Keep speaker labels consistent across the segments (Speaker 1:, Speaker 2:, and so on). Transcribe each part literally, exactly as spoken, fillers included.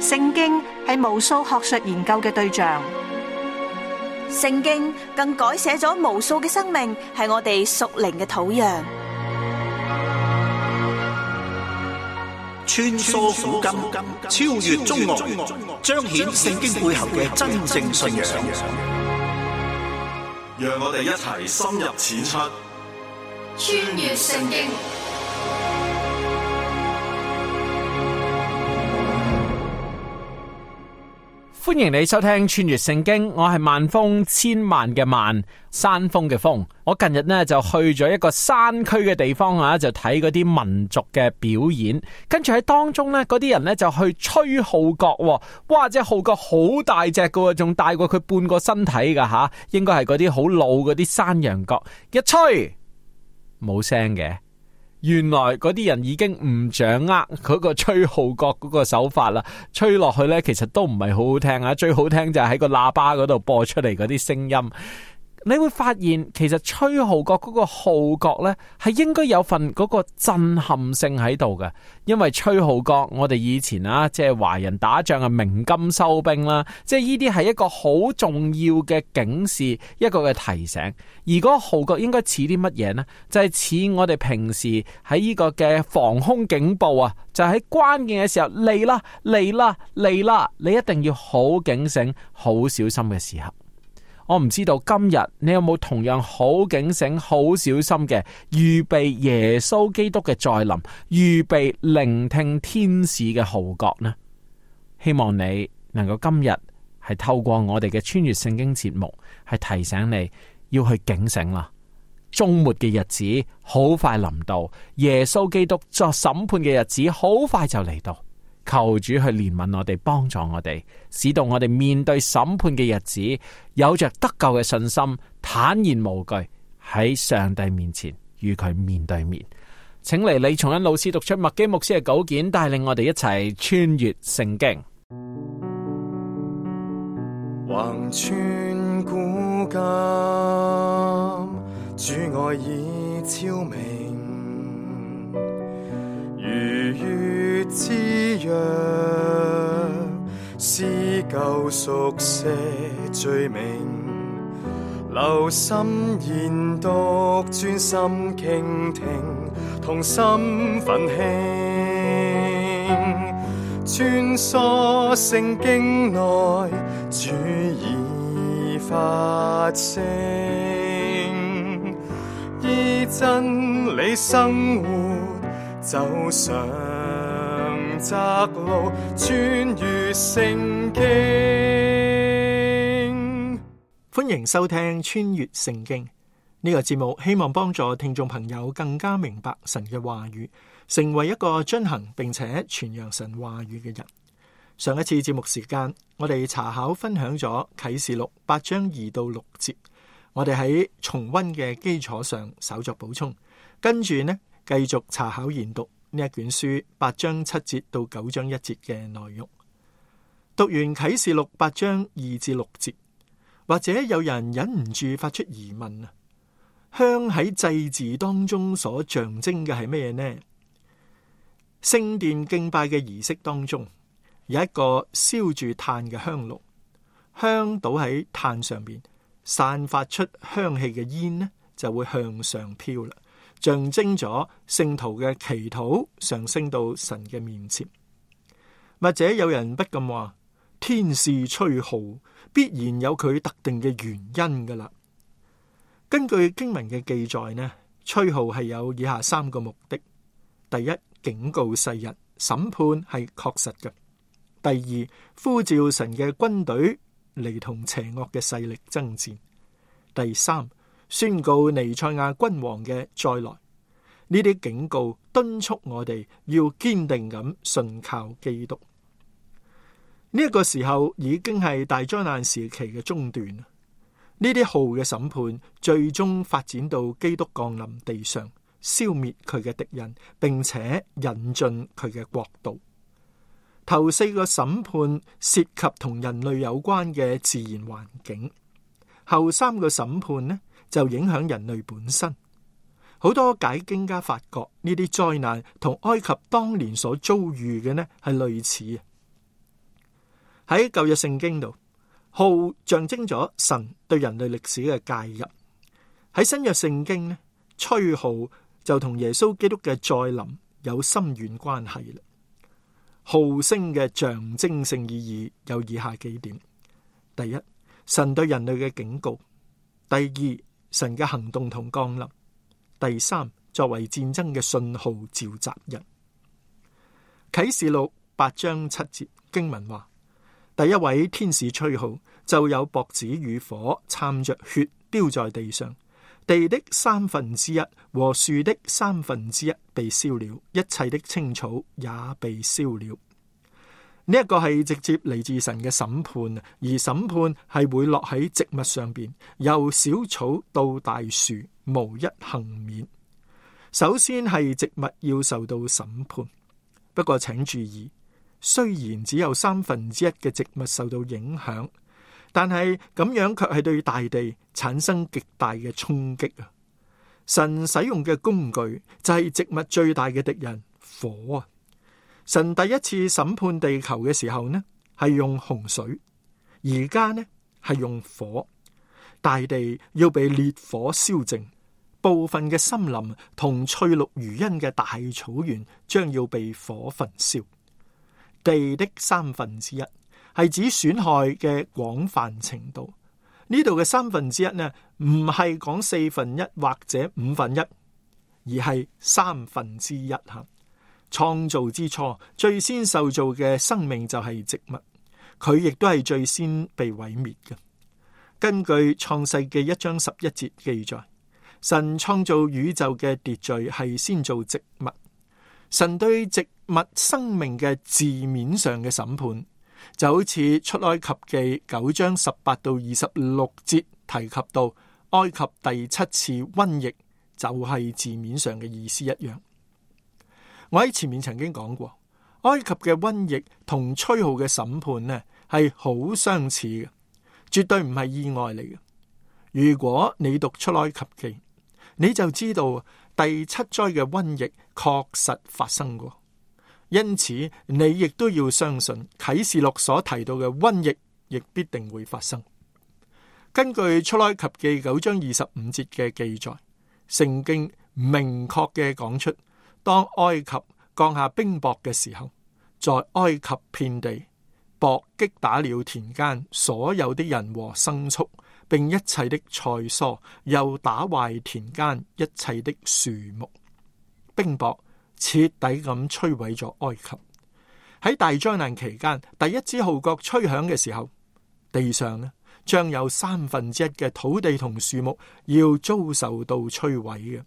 Speaker 1: 聖經係無數學術研究嘅對象，
Speaker 2: 聖經更改寫咗無數嘅生命，係我哋屬靈嘅土壤。
Speaker 3: 穿梭古今，超越中外，彰顯聖經背後嘅真正信仰。
Speaker 4: 讓我哋一齊深入淺出，
Speaker 5: 穿越聖經。
Speaker 6: 歡迎你收聽穿越聖經，我係萬峰，千萬嘅萬，山峰嘅峰。我近日呢就去咗一個山區嘅地方啊，就睇嗰啲民族嘅表演，跟住喺當中呢，嗰啲人呢就去吹號角，哇！隻號角好大隻噶，仲大過佢半個身體噶吓，應該係嗰啲好老嗰啲山羊角，一吹冇聲嘅。原來嗰啲人已經唔掌握嗰個吹號角嗰個手法啦，吹落去呢，其實都唔係好好聽啊！最好聽就係喺個喇叭嗰度播出嚟嗰啲聲音。你會發現其實吹號角嗰個號角呢，係應該有份嗰個震撼性喺度嘅，因為吹號角我哋以前啊，即係華人打仗啊，鳴金收兵啦，即係呢啲係一個好重要嘅警示，一個嘅提醒。而嗰個號角應該似啲乜嘢呢？就係似我哋平時喺呢個嘅防空警報啊，就喺關鍵嘅時候嚟啦嚟啦嚟啦，你一定要好警醒、好小心嘅時候。我唔知道今日你有冇同樣好警醒、好小心嘅預備耶穌基督嘅再臨，預備聆聽天使嘅號角呢？希望你能夠今日係透過我哋嘅穿越聖經節目，係提醒你要去警醒啦。終末嘅日子好快臨到，耶穌基督作審判嘅日子好快就嚟到。求主去憐憫我哋，幫助我哋，使到我哋面對審判嘅日子，有着得救嘅信心，坦然無懼喺上帝面前與佢面對面。請嚟李松恩老師讀出麥基牧師嘅稿件，帶領我哋一齊穿越聖經。
Speaker 7: 橫穿古今，主愛已昭明，如月之約，撕舊熟寫罪名，留心研讀，專心傾聽，同心奮興，穿梭聖經內，主已發聲，依真理生活，走上窄路，穿越聖經。
Speaker 8: 歡迎收聽穿越聖經呢個節目，希望幫助聽眾朋友更加明白神嘅話語，成為一個遵行並且傳揚神話語嘅人。上一次節目時間，我哋查考分享咗啟示錄八章二到六節，我哋喺重溫嘅基礎上稍作補充，跟住呢繼續查考研讀呢一卷書八章七節到九章一節嘅內容。讀完啟示錄八章二至六節，或者有人忍唔住發出疑問啊，香喺祭祀當中所象徵嘅係咩呢？聖殿敬拜嘅儀式當中，有一個燒住炭嘅香爐，香倒喺炭上邊，散發出香氣嘅煙呢，就會向上飄啦，象徵咗聖徒嘅祈禱上升到神嘅面前。或者有人不禁話，天使吹號必然有佢特定嘅原因噶啦。根據經文嘅記載呢，吹號係有以下三個目的：第一，警告世人，審判係確實嘅；第二，呼召神嘅軍隊嚟同邪惡嘅勢力爭戰；第三，宣告彌賽亞君王嘅再來。呢啲警告敦促我哋要堅定咁信靠基督。呢、這、一個時候已經係大災難時期嘅中段。呢啲號嘅審判最終發展到基督降臨地上，消滅佢嘅敵人，並且引進佢嘅國度。頭四個審判涉及同人類有關嘅自然環境，後三個審判呢就影響人類本身。好多解經家發覺呢啲災難同埃及當年所遭遇嘅呢係類似。喺舊約聖經度，號象徵咗神對人類歷史嘅介入。喺新約聖經呢，吹號就同耶穌基督嘅再臨有深遠關係啦。號聲嘅象徵性意義有以下幾點：第一，神對人類嘅警告；第二，神嘅行動同降臨；第三，作為戰爭嘅信號召集人。啟示錄八章七節經文話，第一位天使吹號，就有雹子與火摻着血丟在地上，地的三分之一和樹的三分之一被燒了，一切的青草也被燒了。呢、這、一個係直接嚟自神嘅審判，而審判係會落喺植物上邊，由小草到大樹，無一幸免。首先係植物要受到審判，不過請注意，雖然只有三分之一嘅植物受到影響，但係咁樣卻係對大地產生極大嘅衝擊啊！神使用嘅工具就係植物最大嘅敵人火啊！神第一次審判地球嘅時候呢，係用洪水，而家呢係用火，大地要被烈火燒淨，部分嘅森林同翠綠如茵嘅大草原將要被火焚燒。地的三分之一係指損害嘅廣泛程度，呢度嘅三分之一呢，唔係講四分一或者五分一，而係三分之一吓。創造之初，最先受造嘅生命就係植物，佢亦都係最先被毀滅嘅。根據創世記一章十一節記載，神創造宇宙嘅秩序係先造植物。神對植物生命嘅字面上嘅審判，就好似出埃及記九章十八到二十六節提及到埃及第七次瘟疫，就係字面上嘅意思一樣。我喺前面曾經講過，埃及嘅瘟疫同吹號嘅審判呢係好相似嘅，絕對唔係意外嚟嘅。如果你讀出埃及記，你就知道第七災嘅瘟疫確實發生過，因此你亦都要相信啟示錄所提到嘅瘟疫亦必定會發生。根據出埃及記九章二十五節嘅記載，聖經明確嘅講出，當埃及降下冰雹嘅時候，在埃及遍地，雹擊打了田間所有的人和牲畜，並一切的菜蔬，又打壞田間一切的樹木。冰雹徹底咁摧毀咗埃及。喺大災難期間，第一支號角吹響嘅時候，地上呢將有三分之一嘅土地同樹木要遭受到摧毀嘅。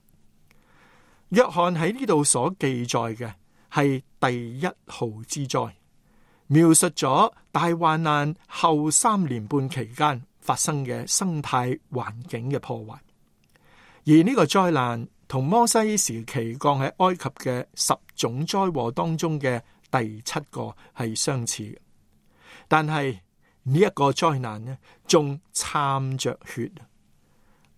Speaker 8: 約翰喺呢度所記載嘅係第一號之災，描述咗大患難後三年半期間發生嘅生態環境嘅破壞。而呢個災難同摩西時期降喺埃及嘅十種災禍當中嘅第七個係相似嘅，但係呢一個災難呢，仲摻着血。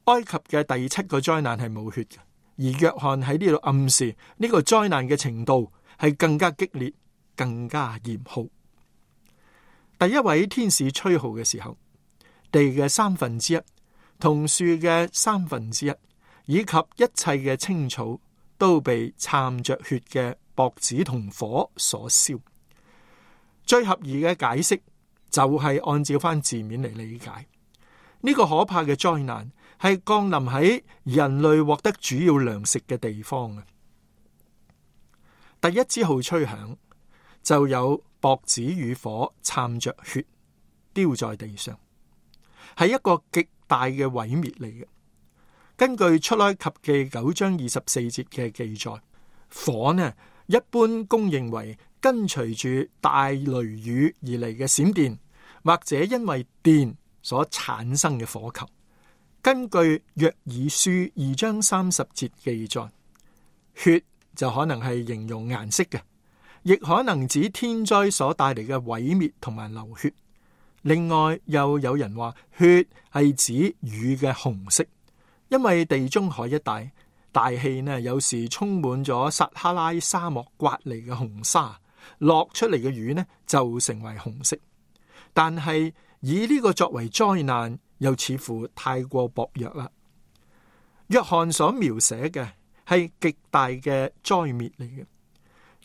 Speaker 8: 埃及嘅第七個災難係冇血嘅。而約翰喺呢度暗示呢個災難嘅程度係更加激烈、更加嚴酷。第一位天使吹號嘅時候，地嘅三分之一同樹嘅三分之一，以及一切嘅青草都被摻着血嘅雹子同火所燒。最合宜嘅解釋就係按照翻字面嚟理解，呢個可怕嘅災難係降臨喺人類獲得主要糧食嘅地方啊！第一支號吹響，就有雹子與火摻着血丟在地上，係一個極大嘅毀滅嚟嘅。根據出埃及記九章二十四節嘅記載，火呢一般公認為跟隨住大雷雨而嚟嘅閃電，或者因為電所產生嘅火球。根據約珥書二章三十節記載，血就可能係形容顏色嘅，亦可能指天災所帶嚟嘅毀滅同埋流血。另外又有人話血係指雨嘅紅色，因為地中海一帶大氣呢有時充滿咗撒哈拉沙漠刮嚟嘅紅沙，落出嚟嘅雨呢就成為紅色。但係以呢個作為災難，又似乎太過薄弱啦。約翰所描寫嘅係極大嘅災滅嚟嘅，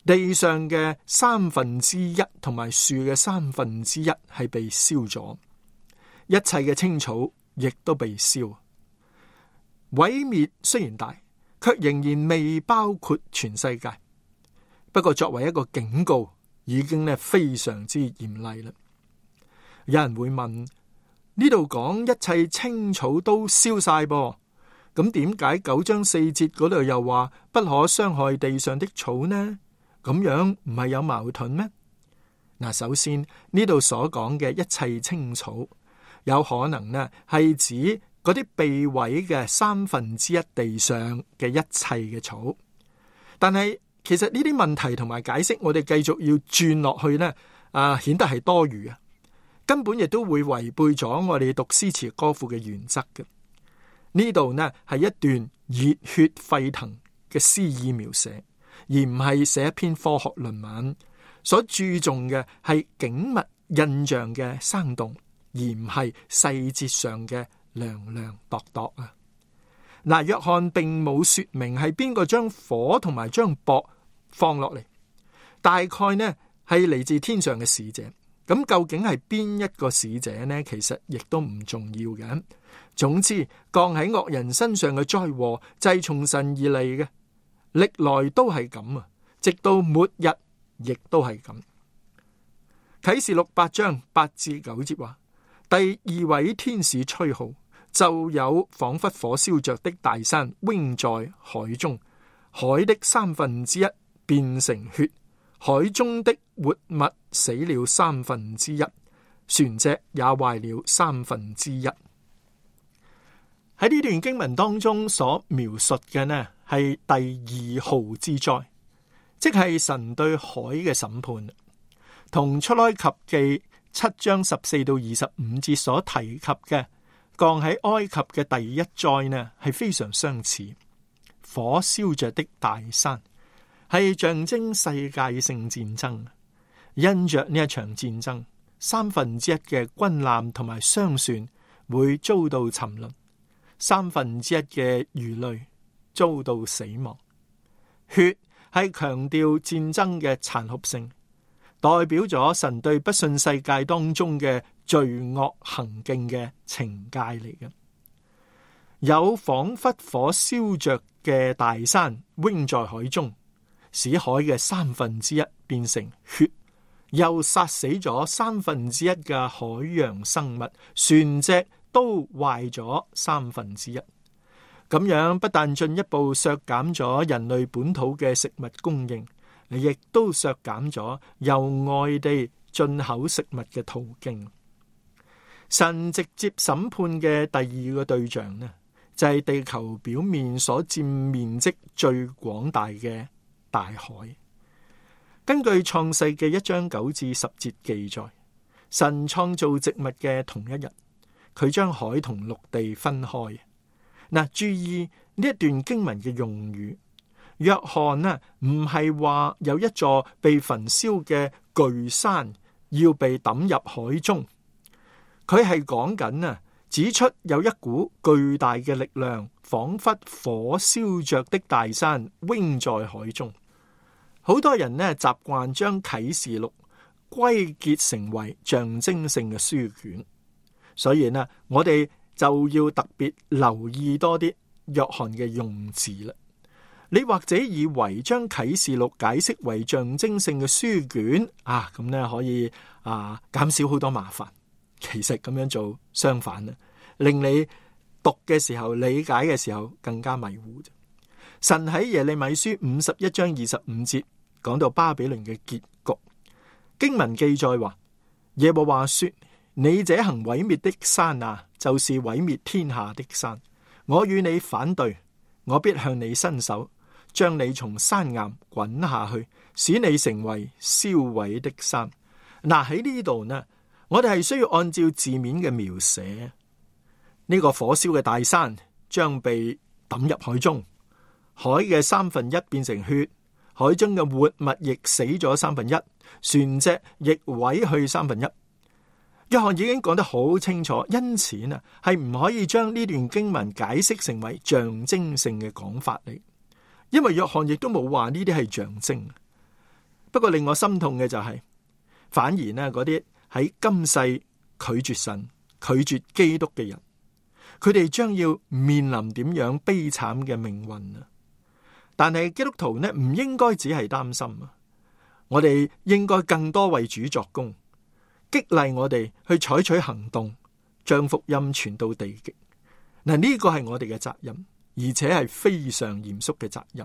Speaker 8: 地上嘅三分之一同埋樹嘅三分之一係被燒咗，一切嘅青草亦都被燒。毀滅雖然大，卻仍然未包括全世界。不過作為一個警告，已經咧非常之嚴厲啦。有人會問，呢度講一切青草都燒晒噃，咁點解九章四節嗰度又話不可傷害地上的草呢？咁樣唔係有矛盾咩？嗱，首先呢度所講嘅一切青草，有可能呢係指嗰啲被毀嘅三分之一地上嘅一切嘅草，但係其實呢啲問題同埋解釋，我哋繼續要轉落去呢，啊，顯得係多餘啊，根本亦都會違背咗我哋讀詩詞歌賦嘅原則嘅。呢度呢係一段熱血沸騰嘅詩意描寫，而唔係寫一篇科學論文。所注重嘅係景物印象嘅生動，而唔係細節上嘅量量度度啊。嗱，約翰並冇說明係邊個將火同埋將雹放落嚟，大概呢係嚟自天上嘅使者。咁究竟係邊一個使者呢？其實亦都唔重要嘅。總之，降喺惡人身上嘅災禍就係從神而嚟嘅，歷來都係咁啊，直到末日亦都係咁。啟示錄八章八至九節話，第二位天使吹號，就有仿佛火燒着的大山扔在海中，海的三分之一變成血，海中的活物死了三分之一，船隻也壞了三分之一。喺呢段經文當中所描述嘅呢，係第二號之災，即係神對海嘅審判，同出埃及記七章十四到二十五節所提及嘅降喺埃及嘅第一災呢，係非常相似。火燒着的大山係象徵世界性戰爭，因着呢一場戰爭，三分之一嘅軍艦同埋商船會遭到沉淪，三分之一嘅魚類遭到死亡。血係強調戰爭嘅殘酷性，代表咗神對不信世界當中嘅罪惡行徑嘅懲戒嚟嘅。有仿佛火燒着嘅大山扔在海中，使海嘅三分之一變成血，又殺死咗三分之一嘅海洋生物，船隻都壞咗三分之一。咁樣不但進一步削減咗人類本土嘅食物供應，亦都削減咗由外地進口食物嘅途徑。神直接審判嘅第二個對象呢，就係地球表面所佔面積最廣大嘅大海。根據創世記一章九至十節記載，神創造植物嘅同一日，佢將海同陸地分開。嗱，注意呢一段經文嘅用語，約翰呢唔係話有一座被焚燒嘅巨山要被抌入海中，佢係講緊啊，指出有一股巨大嘅力量，仿佛火燒着的大山扔在海中。好多人呢習慣將啟示錄歸結成為象徵性嘅書卷，所以呢我哋就要特別留意多啲約翰嘅用字啦。你或者以為將啟示錄解釋為象徵性嘅書卷啊，咁呢可以啊減少好多麻煩。其實咁樣做相反啦，令你讀嘅時候、理解嘅時候更加迷糊。神喺耶利米書五十一章二十五節講到巴比倫嘅結局，經文記載話，耶和華說：你這行毀滅的山啊，就是毀滅天下的山。我與你反對，我必向你伸手，將你從山岩滾下去，使你成為燒毀的山。嗱，喺呢度呢，我哋係需要按照字面嘅描寫，呢、這個火燒嘅大山將被抌入海中，海嘅三分一變成血，海中嘅活物亦死咗三分一，船隻亦毀去三分一。約翰已經講得好清楚，因此啊，係唔可以將呢段經文解釋成為象徵性嘅講法嚟，因為約翰亦都冇話呢啲係象徵。不過令我心痛嘅就係、是，反而呢嗰啲喺今世拒絕神、拒絕基督嘅人，佢哋將要面臨點樣悲慘嘅命運啊！但係基督徒呢，唔應該只係擔心啊，我哋應該更多為主作工，激勵我哋去採取行動，將福音傳到地極。嗱，呢個係我哋嘅責任，而且係非常嚴肅嘅責任。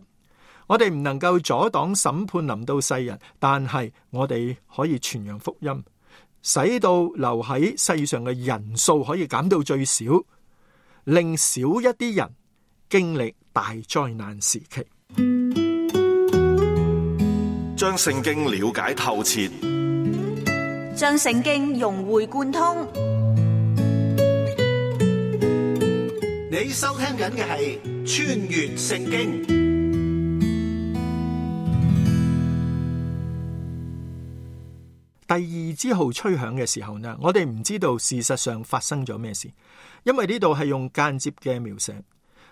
Speaker 8: 我哋唔能夠阻擋審判臨到世人，但係我哋可以傳揚福音，使到留喺世上嘅人數可以減到最少，令少一啲人經歷大災難時期。
Speaker 4: 將聖經了解透徹，
Speaker 2: 將聖經融會貫通。
Speaker 3: 你收聽緊嘅係穿越聖經。
Speaker 8: 第二支號吹響嘅時候呢，我哋唔知道事實上發生咗咩事，因為呢度係用間接嘅描寫。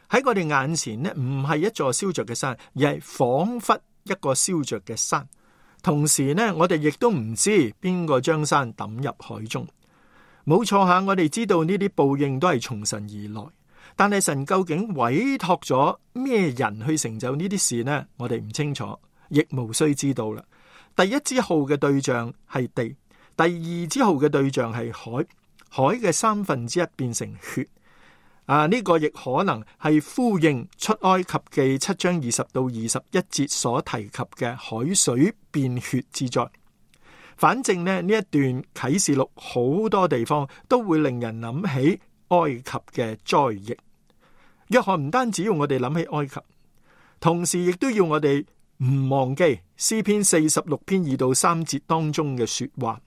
Speaker 8: 喺我哋眼前呢，唔係一座燒着嘅山，而係仿佛一個燒着嘅山。同時呢，我哋亦都唔知邊個將山抌入海中。冇錯下，我哋知道呢啲報應都係從神而來，但係神究竟委託咗咩人去成就呢啲事呢？我哋唔清楚，亦無需知道啦。第一支號嘅對象係地，第二支號嘅對象係海，海嘅三分之一變成血。啊，呢、這個亦可能係呼應出埃及記七章二十到二十一節所提及嘅海水變血之災。反正呢，呢一段啟示錄好多地方都會令人諗起埃及嘅災疫。約翰唔單止要我哋諗起埃及，同時亦都要我哋唔忘記詩篇四十六篇二到三節當中嘅說話。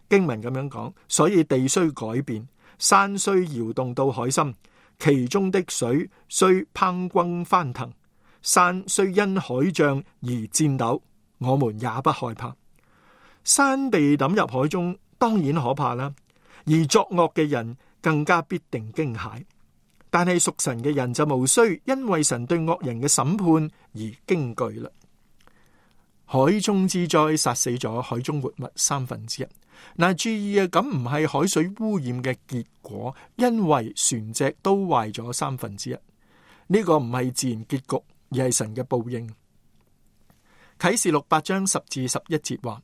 Speaker 8: 經文咁樣講，所以地雖改變，山雖搖動到海心，其中的水雖匉訇翻騰，山雖因海漲而顫抖，我們也不害怕。山被抌入海中，當然可怕啦，而作惡嘅人更加必定驚駭。但係屬神嘅人就無需因為神對惡人嘅審判而驚懼啦。海中之災殺死咗海中活物三分之一。嗱，注意啊，咁唔係海水污染嘅結果，因為船隻都壞咗三分之一。呢個唔係自然結局，而係神嘅報應。啟示錄八章十至十一節話，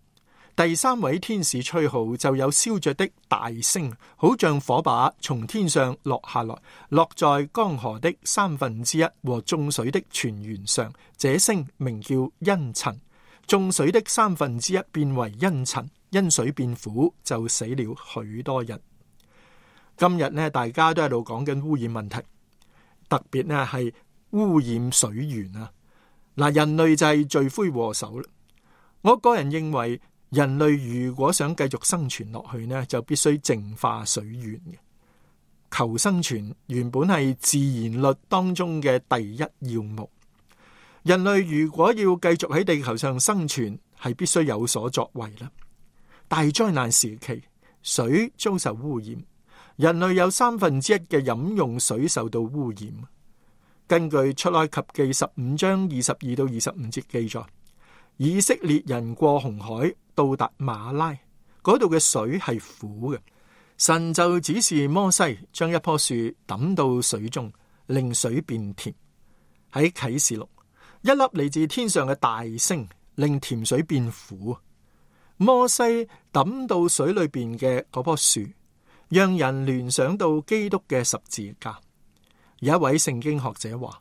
Speaker 8: 第三位天使吹號，就有燒着的大星，好像火把從天上落下來，落在江河的三分之一和眾水的泉源上。這星名叫茵蔯。眾水的三分之一變為茵蔯，因水變苦，就死了許多人。今日呢，大家都喺度講緊污染問題，特別呢係污染水源啊！嗱，人類就係罪魁禍首啦。我個人認為，人類如果想繼續生存落去呢，就必須淨化水源嘅。求生存原本係自然律當中嘅第一要務。人類如果要繼續喺地球上生存，係必須有所作為啦。大災難時期，水遭受污染，人類有三分之一嘅飲用水受到污染。根據出埃及記十五章二十二到二十五節記載，以色列人過紅海到達馬拉，嗰度嘅水係苦嘅，神就指示摩西將一棵樹抌到水中，令水變甜。喺啟示錄，一粒嚟自天上嘅大星，令甜水變苦。摩西抌到水裏邊嘅嗰棵樹，讓人聯想到基督嘅十字架。有一位聖經學者話，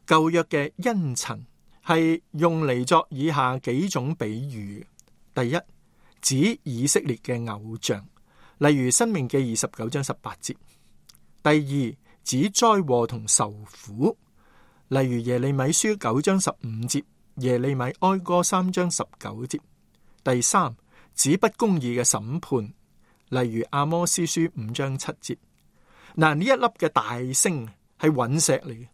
Speaker 8: 舊約嘅茵蔯係用嚟作以下幾種比喻。第一，指以色列嘅偶像，例如申命記二十九章十八節。第二，指災禍同受苦，例如耶利米書九章十五節，耶利米哀歌三章十九節。第三，指不公義嘅審判，例如阿摩司書五章七節。嗱，呢一粒嘅大星係隕石嚟嘅，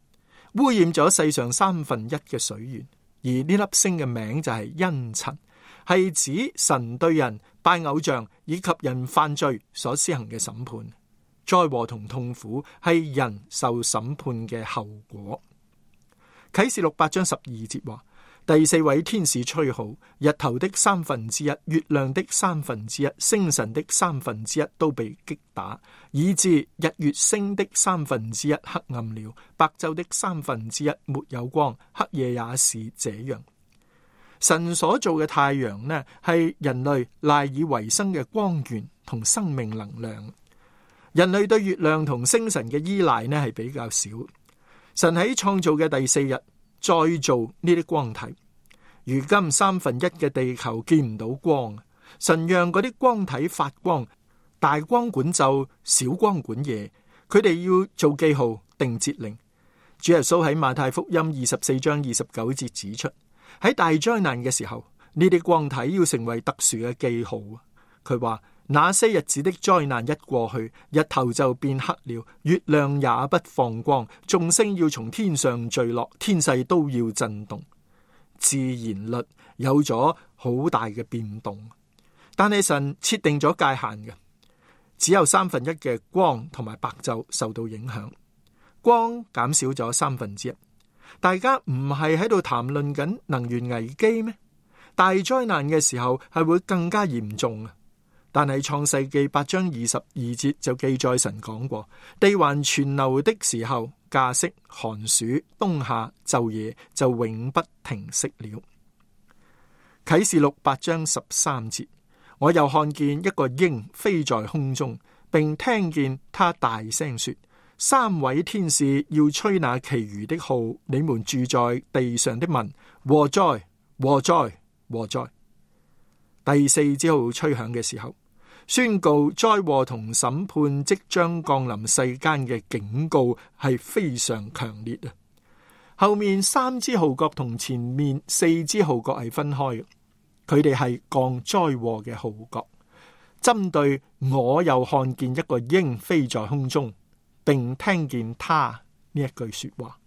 Speaker 8: 污染咗世上三分一嘅水源，而呢粒星嘅名就係茵蔯，係指神對人拜偶像以及人犯罪所施行嘅審判。災禍同痛苦係人受審判嘅後果。啟示錄八章十二節話，第四位天使吹號，日頭的三分之一、月亮的三分之一、星辰的三分之一都被擊打，以致日月星的三分之一黑暗了，白晝的三分之一沒有光，黑夜也是這樣。神所做嘅太陽呢，係人類賴以為生嘅光源同生命能量。人類對月亮同星辰嘅依賴呢，係比較少。神喺創造嘅第四日再造呢啲光體。如今三分一嘅地球見唔到光，神讓嗰啲光體發光，大光管晝，小光管夜。佢哋要做記號，定節令。主耶穌喺馬太福音二十四章二十九節指出，喺大災難嘅時候，呢啲光體要成為特殊嘅記號。佢話，那些日子的災難一過去，日頭就變黑了，月亮也不放光，眾星要從天上墜落，天勢都要震動。自然律有咗好大嘅變動，但係神設定咗界限嘅，只有三分一嘅光同埋白晝受到影響，光減少咗三分之一。大家唔係喺度談論緊能源危機咩？大災難嘅時候係會更加嚴重啊！但係創世記八章二十二節就記載神講過，地還存留的時候，稼穡、寒暑、冬夏、晝夜就永不停息了。啟示錄八章十三節，我又看見一個鷹飛在空中，並聽見他大聲說，三位天使要吹那其餘的號，你們住在地上的民，禍哉禍哉禍哉。第四支號吹響嘅時候，宣告災禍同審判即將降臨世間嘅警告係非常強烈啊！後面三支號角同前面四支號角係分開嘅，佢哋係降災禍嘅號角，針對我又看見一個鷹飛在空中，並聽見他呢一句說話。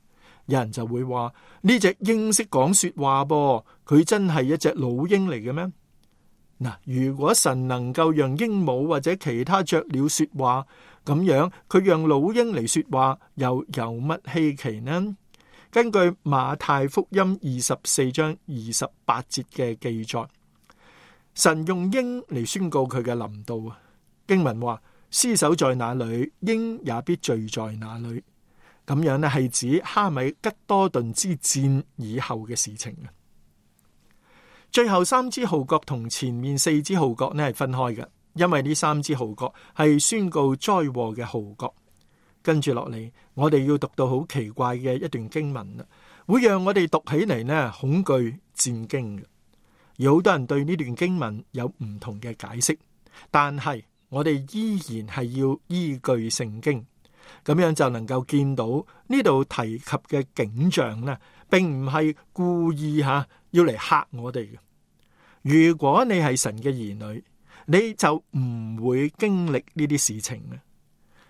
Speaker 8: 有人就會話，呢隻鷹識講說話噃，佢真係一隻老鷹嚟嘅咩？嗱，如果神能夠讓鸚鵡或者其他雀鳥說話，咁樣佢讓老鷹嚟說話，又有乜稀奇呢？根據馬太福音二十四章二十八節嘅記載，神用鷹嚟宣告佢嘅臨到啊！經文話：屍首在哪裏，鷹也必聚在哪裏。咁樣呢，係指哈米吉多頓之戰以後嘅事情啊！最後三支號角同前面四支號角呢係分開嘅，因為呢三支號角係宣告災禍嘅號角。跟住落嚟，我哋要讀到好奇怪嘅一段經文啦，會讓我哋讀起嚟呢恐懼戰驚嘅。有好多人對呢段經文有唔同嘅解釋，但係我哋依然係要依據聖經，咁樣就能夠見到呢度提及嘅景象呢，並唔係故意吓要嚟嚇我哋嘅。如果你係神嘅兒女，你就唔會經歷呢啲事情嘅。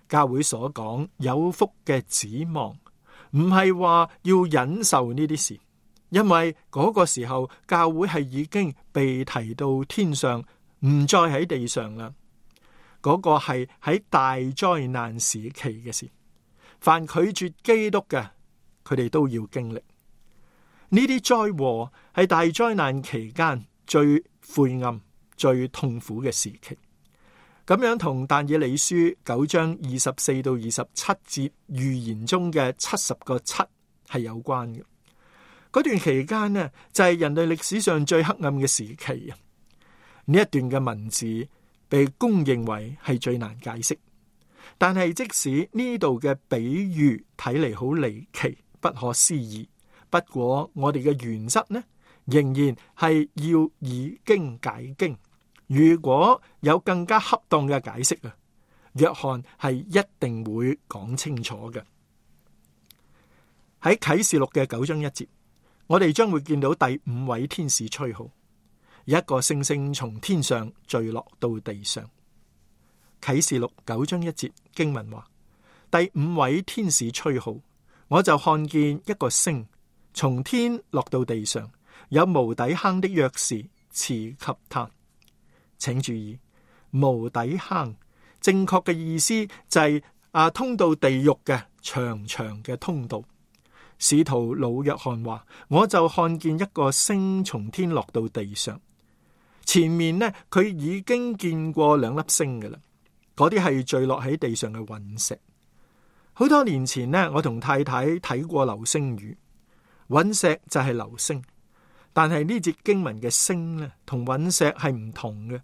Speaker 8: 教會所講有福嘅指望，唔係話要忍受呢啲事，因為嗰個時候教會係已經被提到天上，唔再喺地上啦。嗰個係喺大災難時期嘅事，凡拒絕基督嘅，佢哋都要經歷呢啲災禍，係大災難期間最晦暗、最痛苦嘅時期。咁樣同但以理書九章二十四到二十七節預言中嘅七十個七係有關嘅。嗰段期間呢，就係人類歷史上最黑暗嘅時期啊！呢一段嘅文字被公認為係最難解釋，但係即使呢度嘅比喻睇嚟好離奇、不可思議，不過我哋嘅原則呢，仍然係要以經解經。如果有更加恰當嘅解釋啊，約翰係一定會講清楚嘅。喺啟示錄嘅九章一節，我哋將會見到第五位天使吹號，一個星星從天上墜落到地上。啟示錄九章一節經文話：第五位天使吹號，我就看見一個星從天落到地上，有無底坑的鑰匙賜給他。請注意，無底坑正確嘅意思就係、是、啊通到地獄嘅長長嘅通道。使徒老約翰話，我就看見一個星從天落到地上，前面呢，佢已經見過兩粒星㗎喇，嗰啲係墜落喺地上嘅隕石。好多年前呢，我同太太睇過流星雨，隕石就係流星，但係呢節經文嘅星呢，同隕石係唔同嘅。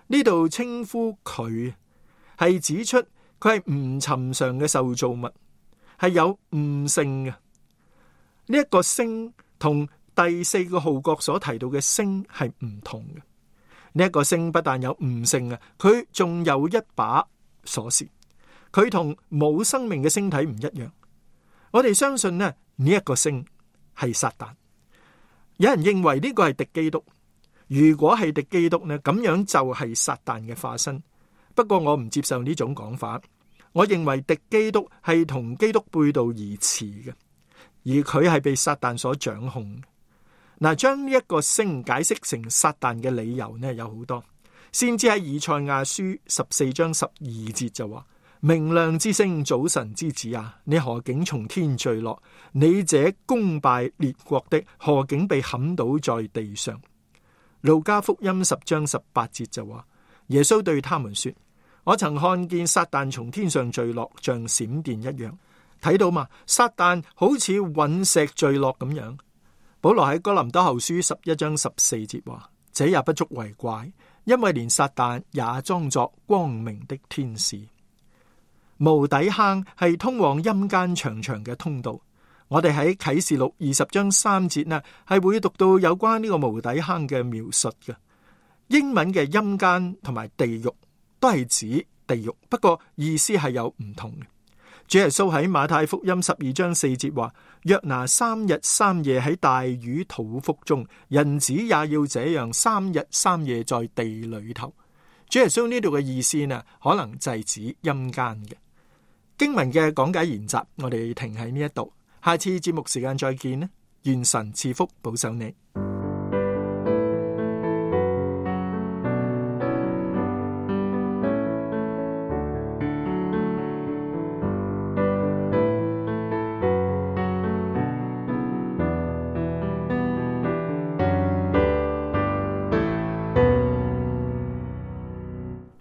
Speaker 8: 呢度稱呼佢係指出佢係唔尋常嘅受造物，係有悟性嘅。呢一個星同第四個號角所提到嘅星係唔同嘅。呢一個星不但有悟性啊，佢仲有一把鎖匙。佢同冇生命嘅星體唔一樣。我哋相信呢，呢一個星係撒旦。有人認為呢個係敵基督。如果係敵基督呢，咁樣就係撒旦嘅化身。不過我唔接受呢種講法。我認為敵基督係同基督背道而馳嘅。而佢係被撒旦所掌控。嗱，將呢一個星解釋成撒旦嘅理由呢，有好多。先知喺以賽亞書十四章十二節就話：明亮之星，早晨之子啊，你何竟從天墜落？你這攻敗列國的，何竟被砍倒在地上？路加福音十章十八節就話：耶穌對他們說：我曾看見撒旦從天上墜落，像閃電一樣。睇到嘛？撒旦好似隕石墜落咁樣。保羅喺哥林多後書十一章十四節話：這也不足為怪，因為連撒旦也裝作光明的天使。無底坑係通往陰間長長嘅通道。我哋喺啟示錄二十章三節呢，係會讀到有關呢個無底坑嘅描述嘅。英文嘅陰間同埋地獄都係指地獄，不過意思係有唔同嘅。主耶穌喺馬太福音十二章四節話：約拿三日三夜喺大魚肚腹中，人子也要這樣三日三夜在地裏頭。主耶穌呢度嘅意思呢，可能就係指陰間嘅。經文嘅講解研習，我哋停喺呢一度，下次節目時間再見啦！願神賜福保守你。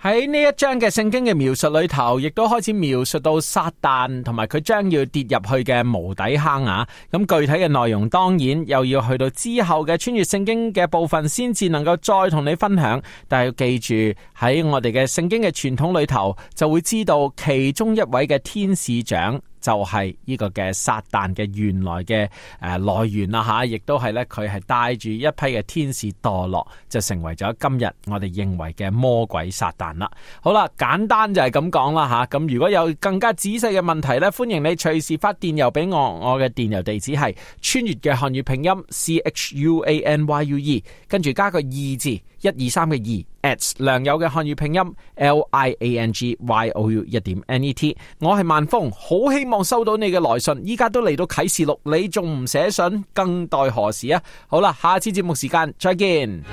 Speaker 6: 喺呢一章嘅聖經嘅描述裏頭，亦都開始描述到撒旦同埋佢將要跌入去嘅無底坑啊！咁具體嘅內容當然又要去到之後嘅穿越聖經嘅部分先至能夠再同你分享。但係要記住，喺我哋嘅聖經嘅傳統裏頭，就會知道其中一位嘅天使長就係呢個嘅撒旦嘅原來嘅誒來源啦吓，亦都係咧佢係帶住一批嘅天使墮落，就成為咗今日我哋認為嘅魔鬼撒旦啦。好啦，簡單就係咁講啦吓。咁如果有更加仔細嘅問題咧，歡迎你隨時發電郵俾我，我嘅電郵地址係穿越嘅漢語拼音 C H U A N Y U E， 跟住加個二字一二三嘅二 at 良友嘅漢語拼音 L I A N G Y O U 一點 N E T。我係萬峰，好希望收到你嘅來信。依家都嚟到啟示錄，你仲唔寫信，更待何時啊？好啦，下次節目時間再見。